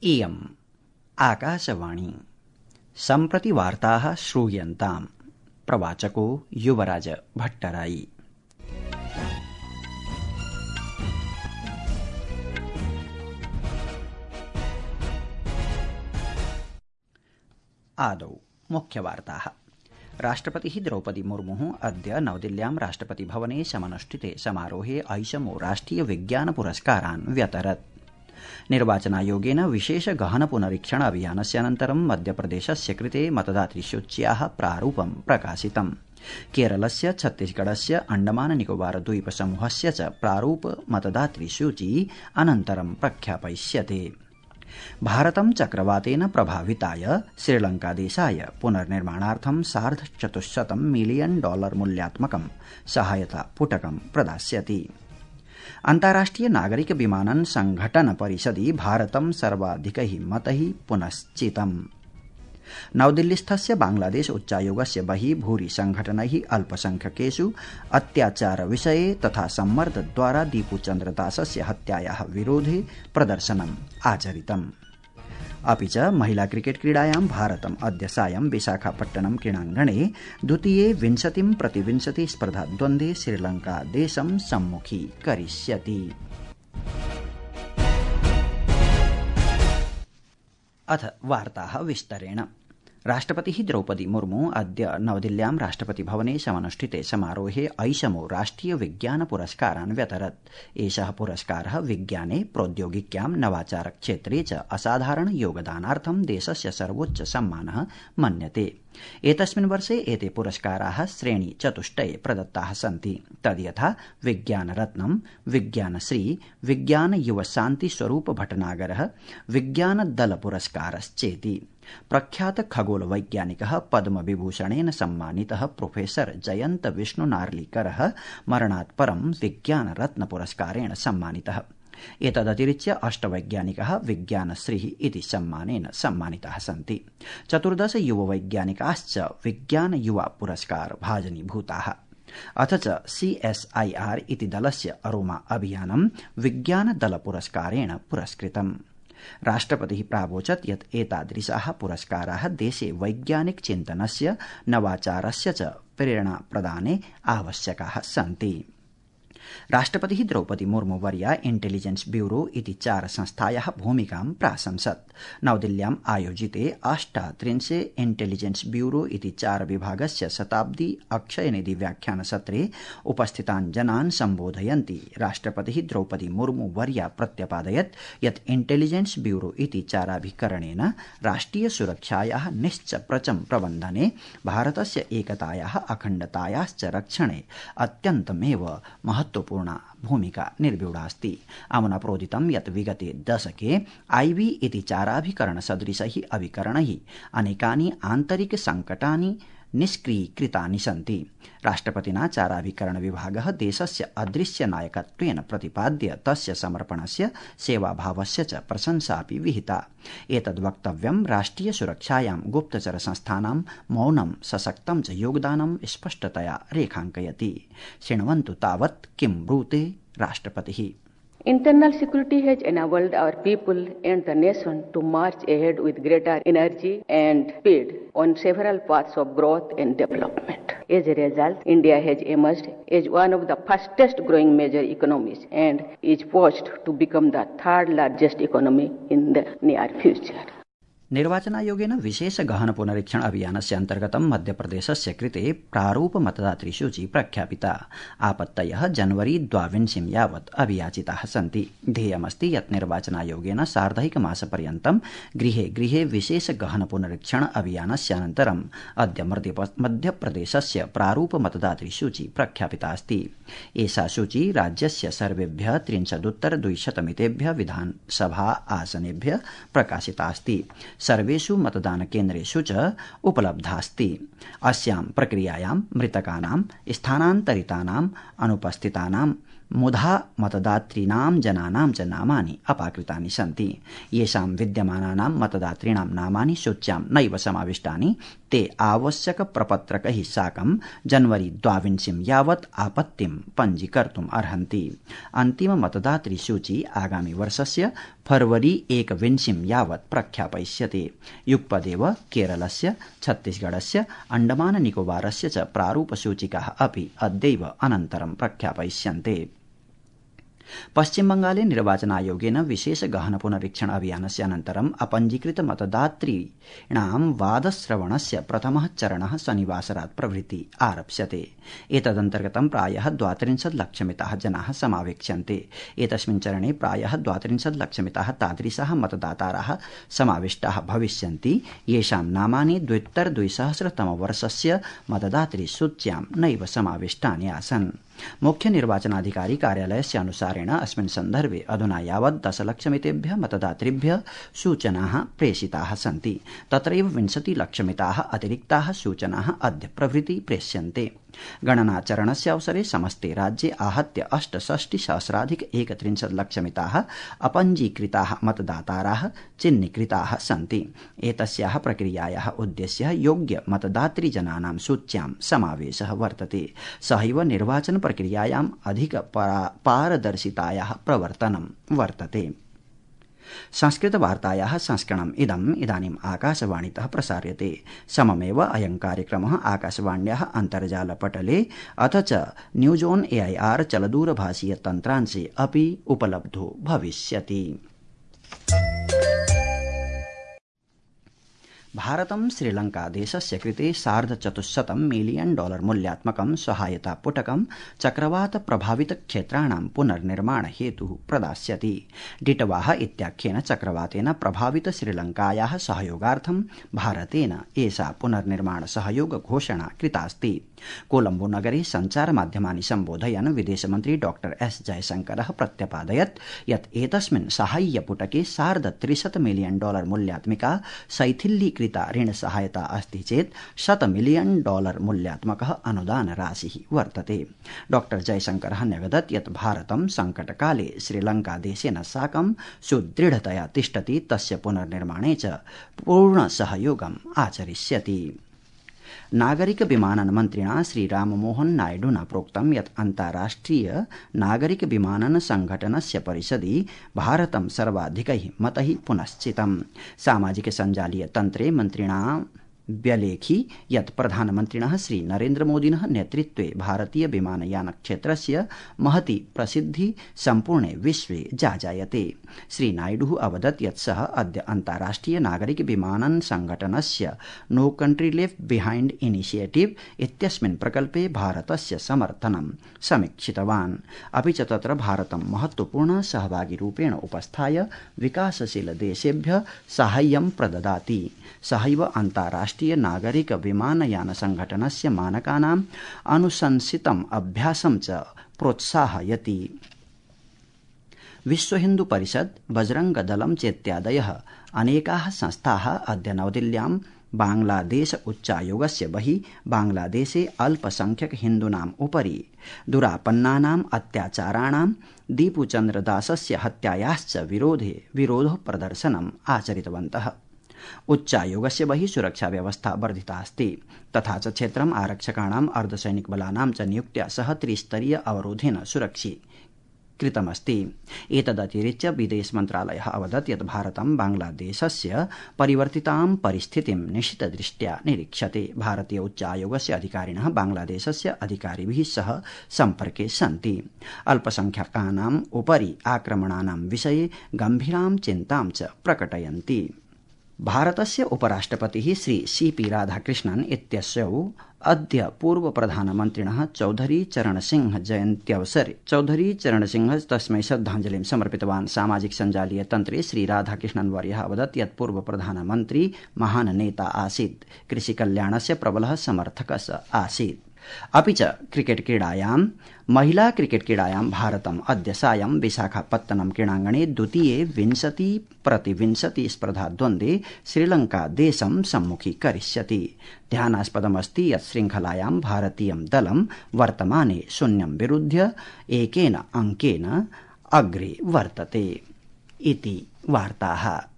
इयम् आकाशवाणी सम्प्रति वार्ताः श्रूयन्ताम्। प्रवाचको युवराज भट्टराई। आदौ मुख्यवार्ताः। राष्ट्रपतिः द्रौपदी मुर्मुः अद्य नवदिल्ल्यां राष्ट्रपतिभवने समनुष्ठिते समारोहे ऐषमो राष्ट्रिय विज्ञान पुरस्कारान् व्यतरत्। निर्वाचनायोगेन विशेष गहन पुनरीक्षण अभियानस्य अनन्तरं मध्यप्रदेशस्य कृते मतदातृसूच्याः प्रारूपं प्रकाशितम्। केरलस्य छत्तीसगढस्य अण्डमान निकोबार द्वीप समूहस्य च प्रारूप मतदातृसूची अनन्तरं प्रख्यापयिष्यते। भारतं चक्रवातेन प्रभाविताय श्रीलंकादेशाय पुनर्निर्माणार्थं $450 मिलियन मूल्यात्मकं सहायता पुटकं प्रदास्यति। अन्ताराष्ट्रिय नागरिक विमानन संघटन परिषदि भारतं सर्वाधिकैः मतैः पुनश्चितम्। नवदिल्लीस्थस्य बांग्लादेश उच्चायोगस्य बहिः भूरि संघटनैः अल्पसंख्यकेषु अत्याचार विषये तथा सम्मर्दद्वारा दीपुचन्द्रदासस्य हत्यायाः विरोधे प्रदर्शनम् आचरितम्। अपि च महिला क्रिकेट क्रीडायां भारतम् अद्य सायं विशाखापट्टनम क्रीडाङ्गणे द्वितीये 20-20 स्पर्धाद्वन्द्वे श्रीलंकादेशं सम्मुखीकरिष्यति। अथ वार्ताः विस्तरेण। राष्ट्रपतिः द्रौपदी मुर्मू अद्य नवदिल्ल्यां राष्ट्रपतिभवने समनुष्ठिते समारोहे ऐषमो राष्ट्रिय विज्ञान पुरस्कारान् व्यतरत्। एषः पुरस्कारः विज्ञाने प्रौद्योगिक्यां नवाचार क्षेत्रे च असाधारण योगदानार्थं देशस्य सर्वोच्च सम्मानः मन्यते। एतस्मिन् वर्षे एते पुरस्काराः श्रेणी चतुष्टये प्रदत्ताः सन्ति। तद्यथा विज्ञानरत्नं, विज्ञानश्री, विज्ञान युव शान्ति स्वरूप भटनागरः, विज्ञानदल पुरस्कारश्चेति। प्रख्यात खगोल वैज्ञानिकः पद्मविभूषणेन सम्मानितः प्रोफेसर जयन्त विष्णु नार्लिकरः मरणात् परं विज्ञानरत्न पुरस्कारेण सम्मानितः। एतदतिरिच्य 8 वैज्ञानिकाः विज्ञानश्रीः इति सम्मानेन सम्मानिताः सन्ति। 14 युववैज्ञानिकाश्च विज्ञान युवा पुरस्कार भाजनीभूताः। अथ च CSIR इति दलस्य अरोमा अभियानं विज्ञानदल पुरस्कारेण पुरस्कृतम्। राष्ट्रपतिः प्रावोचत् यत् एतादृशाः पुरस्काराः देशे वैज्ञानिक चिन्तनस्य, नवाचारस्य च प्रेरणाप्रदाने आवश्यकाः सन्ति। राष्ट्रपतिः द्रौपदी मुर्मू वर्या इंटेलिजेंस ब्यूरो इति 4 संस्थायाः भूमिकां प्राशंसत्। नवदिल्ल्याम् आयोजिते 38 इंटेलिजेंस ब्यूरो इति 4 विभागस्य शताब्दी अक्षयनिधि व्याख्यानसत्रे उपस्थितान् जनान् सम्बोधयन्ती राष्ट्रपतिः द्रौपदी मुर्मू वर्या प्रत्यपादयत् यत् इंटेलिजेंस ब्यूरो इति 4भिकरणेन राष्ट्रिय सुरक्षायाः निश्चप्रचं प्रबन्धने, भारतस्य एकतायाः अखण्डतायाश्च रक्षणे अत्यन्तमेव महत्वपूर्णा भूमिका निर्व्यूढास्ति। अमुना प्रोदितं यत् विगते दशके IB इति 4भिकरणसदृशैः अभिकरणैः अनेकानि आन्तरिक संकटानि निष्क्रीकृतानि सन्ति। राष्ट्रपतिना 4भिकरण विभागः देशस्य अदृश्य नायकत्वेन प्रतिपाद्य तस्य समर्पणस्य, सेवाभावस्य च प्रशंसापि विहिता। एतद्वक्तव्यं राष्ट्रिय सुरक्षायां गुप्तचर संस्थानां मौनं सशक्तं च योगदानं स्पष्टतया रेखाङ्कयति। शृण्वन्तु तावत् किं ब्रूते राष्ट्रपतिः। Internal security has enabled our people and the nation to march ahead with greater energy and speed on several paths of growth and development. As a result, India has emerged as one of the fastest growing major economies and is poised to become the 3rd largest economy in the near future. निर्वाचनायोगेन विशेष गहन पुनरीक्षण अभियानस्य अन्तर्गतं मध्यप्रदेशस्य कृते प्रारूप मतदातृसूची प्रख्यापिता। आपत्तयः जनवरी 22 यावत् अभियाचिताः सन्ति। ध्येयमस्ति यत् निर्वाचनायोगेन सार्धैकमासपर्यन्तं गृहे गृहे विशेष गहन पुनरीक्षण अभियानस्य अनन्तरम् अद्य मध्यप्रदेशस्य प्रारूप मतदातृसूची प्रख्यापिता अस्ति। एषा सूची राज्यस्य सर्वेभ्यः 33,200 मितेभ्यः विधानसभा आसनेभ्यः प्रकाशिता अस्ति। सर्वेषु मतदानकेन्द्रेषु च उपलब्धास्ति। अस्यां प्रक्रियायां मृतकानां, स्थानान्तरितानां, अनुपस्थितानां मुधा मतदातॄणां जनानां च नामानि अपाकृतानि सन्ति। येषां विद्यमानानां मतदातॄणां नामानि सूच्यां नैव समाविष्टानि ते आवश्यक प्रपत्रकैः साकं जनवरी 22 यावत् आपत्तिं पञ्जीकर्तुम् अर्हन्ति। अन्तिम मतदातृ सूची आगामि वर्षस्य फरवरी 21 यावत् प्रख्यापयिष्यते। युगपदेव केरलस्य, छत्तीसगढस्य, अण्डमान निकोबारस्य च प्रारूपसूचिकाः अपि अद्यैव अनन्तरं प्रख्यापयिष्यन्ते। पश्चिमबंगाले निर्वाचनायोगेन विशेष गहन पुनरीक्षण अभियानस्य अनन्तरं अपञ्जीकृत मतदातॄणां वादश्रवणस्य प्रथमः चरणः शनिवासरात् प्रभृति आरप्स्यते। एतदन्तर्गतं प्रायः 32 लक्षमिताः जनाः समावेक्ष्यन्ते। एतस्मिन् चरणे प्रायः 32 लक्षमिताः तादृशाः मतदाताराः समाविष्टाः भविष्यन्ति येषां नामानि 2000 मतदातृसूच्यां नैव समाविष्टानि आसन्। मुख्य निर्वाचनाधिकारी कार्यालयस्य अनुसारेण अस्मिन् सन्दर्भे अधुना यावत् 10 लक्षमितेभ्यः मतदातृभ्यः सूचनाः प्रेषिताः सन्ति। तत्रैव 20 लक्षमिताः अतिरिक्ताः सूचनाः अद्य प्रभृति प्रेष्यन्ते। गणनाचरणस्य अवसरे समस्ते राज्ये आहत्य 68,031 लक्षमिताः अपञ्जीकृताः मतदाताराः चिह्नीकृताः सन्ति। एतस्याः प्रक्रियायाः उद्देश्यः योग्य मतदातृजनानां सूच्यां समावेशः वर्तते। सहैव निर्वाचन प्रक्रियायाम् अधिक पारदर्शितायाः प्रवर्तनं वर्तते। संस्कृतवार्तायाः संस्करणम् इदानीम् आकाशवाणीतः प्रसार्यते। सममेव अयं कार्यक्रमः आकाशवाण्याः अन्तर्जालपटले अथ च न्यूज ऑन AIR चलदूरभाषीय तन्त्रांशे अपि उपलब्धो भविष्यति। भारतं श्रीलङ्कादेशस्य कृते $450 मिलियन मूल्यात्मकं सहायतापुटकं चक्रवात प्रभावित क्षेत्राणां पुनर्निर्माण हेतुः प्रदास्यति। डिटवाह इत्याख्येन चक्रवातेन प्रभावित श्रीलङ्कायाः सहयोगार्थं भारतेन एषा पुनर्निर्माण सहयोग घोषणा कृतास्ति। कोलम्बो नगरे सञ्चारमाध्यमानि सम्बोधयन् विदेशमन्त्री डॉ S जयशंकरः प्रत्यपादयत् यत् एतस्मिन् साहाय्यपुटके $300 मिलियन मूल्यात्मिका शैथिल्यीकृता ऋण सहायता अस्ति चेत् $100 मिलियन मूल्यात्मकः अनुदान राशिः वर्तते। डॉ जयशंकरः न्यगदत् यत् भारतं संकटकाले श्रीलङ्कादेशेन साकं सुदृढतया तिष्ठति, तस्य पुनर्निर्माणे च पूर्ण सहयोगम् आचरिष्यति। नागरिक विमानन मन्त्रिणा श्रीराममोहन नायडुना प्रोक्तं यत् अन्ताराष्ट्रिय नागरिक विमानन संघटनस्य परिषदि भारतं सर्वाधिकैः मतैः पुनश्चितम्। सामाजिक सञ्जालीय तन्त्रे मन्त्रिणा व्यलेखि यत् प्रधानमन्त्रिणः श्री नरेन्द्रमोदिनः नेतृत्वे भारतीय विमानयान क्षेत्रस्य महती प्रसिद्धि सम्पूर्णे विश्वे जाजायते। श्री नायडुः अवदत् यत् सः अद्य अन्ताराष्ट्रिय नागरिक विमानन संघटनस्य नो कंट्री लेफ्ट बिहाइंड इनिशिएटिव इत्यस्मिन् प्रकल्पे भारतस्य समर्थनं समीक्षितवान्। अपि च तत्र भारतं महत्वपूर्ण सहभागिरूपेण उपस्थाय विकासशील देशेभ्यः साहाय्यं प्रददाति। सहैव अन्ताराष्ट्रिय नागरिक विमानयान संघटनस्य मानकानाम् अनुशंसितम् अभ्यासं च प्रोत्साहयति। विश्व हिन्दू परिषद, बजरंग दलं चेत्यादयः अनेकाः संस्थाः अद्य नवदिल्ल्यां बांग्लादेश उच्चायोगस्य बहिः बांग्लादेशे अल्पसंख्यक हिन्दूनाम् उपरि दुरापन्नानाम् अत्याचाराणां दीपुचन्द्रदासस्य हत्यायाश्च विरोध प्रदर्शनम् आचरितवन्तः। उच्चायोगस्य बहिः सुरक्षा व्यवस्था वर्धिता अस्ति, तथा च क्षेत्रम् आरक्षकाणाम् अर्धसैनिकबलानां च नियुक्त्या सह त्रिस्तरीय अवरोधेन सुरक्षीकृतमस्ति। एतदतिरिच्य विदेश मन्त्रालयः अवदत् यत् भारतं बांग्लादेशस्य परिवर्तितां परिस्थितिं निशितदृष्ट्या निरीक्षते। भारतीय उच्चायोगस्य अधिकारिणः बांग्लादेशस्य अधिकारिभिः सह सम्पर्के सन्ति। अल्पसंख्यकानाम् उपरि आक्रमणानां विषये गम्भीरां चिन्तां च प्रकटयन्ति। भारतस्य उपराष्ट्रपतिः श्री CP राधाकृष्णन् इत्यसौ अद्य पूर्व प्रधानमन्त्रिणः चौधरी चरणसिंह जयन्त्यवसरे चौधरी चरणसिंह तस्मै श्रद्धाञ्जलिं समर्पितवान्। सामाजिक सञ्जालीय तन्त्रे श्री राधाकृष्णन् वर्यः अवदत् यत् पूर्व प्रधानमन्त्री महान् नेता आसीत्, कृषिकल्याणस्य प्रबलः समर्थकः आसीत्। अपि च क्रिकेट क्रीडायां महिला क्रिकेट क्रीडायां भारतम् अद्य सायं विशाखापत्तनम क्रीडाङ्गणे द्वितीये 20-20 स्पर्धाद्वन्द्वे श्रीलंका देशं सम्मुखीकरिष्यति। ध्यानास्पदमस्ति यत् श्रृंखलायां भारतीयं दलं वर्तमाने 0-1 अङ्केन अग्रे वर्तते। इति वार्ताः।